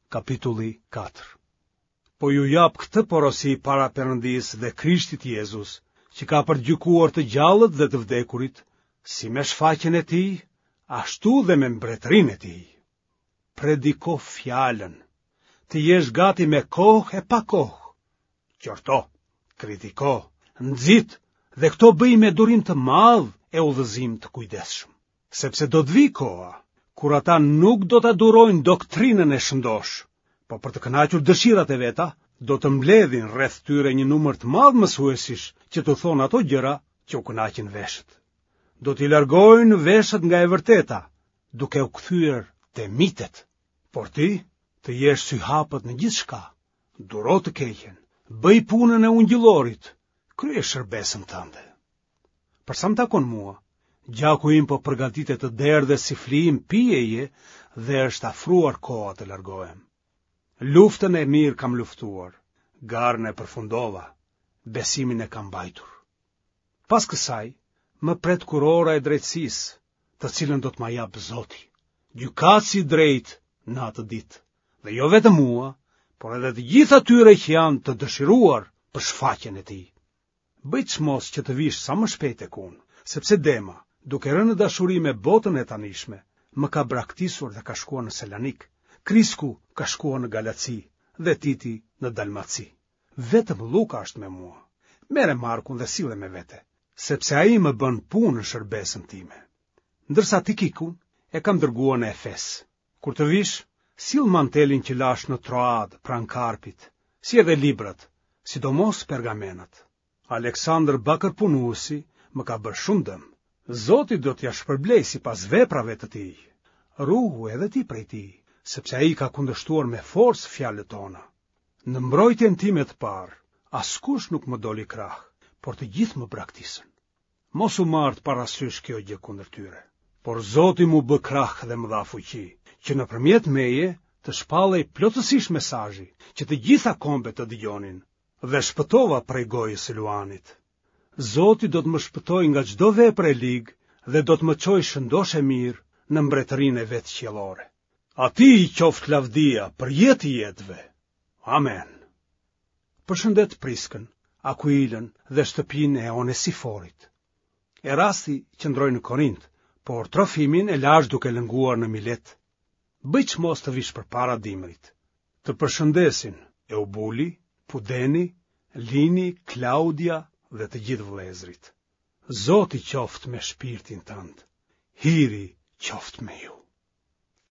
Kapitulli 4. Po ju jap këtë porosi para Perëndisë dhe Krishtit Jezus, që ka për të gjykuar të gjallët dhe të vdekurit, si me shfaqjen e tij, ashtu dhe me mbretërinë e tij. Prediko fjalën, të jesh gati me kohë e pa kohë. Qorto, kritiko, nxit dhe këto bëji me durim të madh e udhëzim të kujdesshëm. Sepse do të vijë koha, kur ata nuk do ta durojnë doktrinën e shëndoshë, po për të kënaqur dëshirat e veta, do të mbledhin rreth tyre një numër të madh mësuesish që t'u thonë ato gjëra që u kënaqin veshët. Do t'i largojnë veshët nga e vërteta, duke u kthyer te mitet. Por ti, të jesh syhapët në gjithçka, duro të keqen, bëj punën e ungjillorit, kryej shërbesën tënde. Për sa më takon mua, gjaku im po përgatitet të derdhet si flijim pijeje dhe është afruar koha të largohem. Luftën e mirë kam luftuar, garën e përfundova, besimin e kam mbajtur. Pas kësaj, më pret kurora e drejtësisë, të cilën do të ma japë Zoti, gjykatësi i drejtë në atë ditë, dhe jo vetëm mua, por edhe të gjithë atyre që janë të dëshiruar për shfaqjen e tij. Bëj çmos që të vish sa më shpejt tek unë, sepse Dema, duke rënë në dashuri me botën e tanishme, më ka braktisur dhe ka shkuar në Selanik, Krisku ka shkuar në Galaci dhe Titi në Dalmaci. Vetëm Lluka është me mua. Merre Markun dhe sille me vete, sepse ai më bën punë në shërbesën time. Ndërsa Tikikun e kam dërguar në Efes. Kur të vish, sill mantelin që lashë në Troadë pranë Karpit, si edhe librat, sidomos pergamenat. Aleksandër bakërpunuesi më ka bërë shumë dëm. Zoti do t'ia shpërblejë sipas veprave të tij. Ruhu edhe ti prej tij, sepse ai ka kundërshtuar me forcë fjalët tona. Në mbrojtjen time të parë, askush nuk më doli krah, por të gjithë më braktisën. Mos u marrtë parasysh kjo gjë kundër tyre. Por Zoti m'u bë krah dhe më dha fuqi, që nëpërmjet meje të shpallej plotësisht mesazhi, që të gjitha kombet të dëgjonin, dhe shpëtova prej gojës së luanit. Zoti do të më shpëtojë nga çdo vepër e ligë dhe do të më çojë shëndoshë e mirë në mbretërinë e vet qiellore. Atij i qoftë lavdia për jetë të jetëve. Amen. Përshëndet Priskën, Akuilën dhe shtëpinë e Onesiforit. Erasti qëndroi në Korint, por Trofimin e lashë duke lënguar në Milet. Bëj çmos të vish përpara dimrit. Të përshëndesin Eubuli, Pudeni, Lini, Klaudia dhe të gjithë vëllezërit. Zoti qoftë me shpirtin tënd. Hiri qoftë me ju.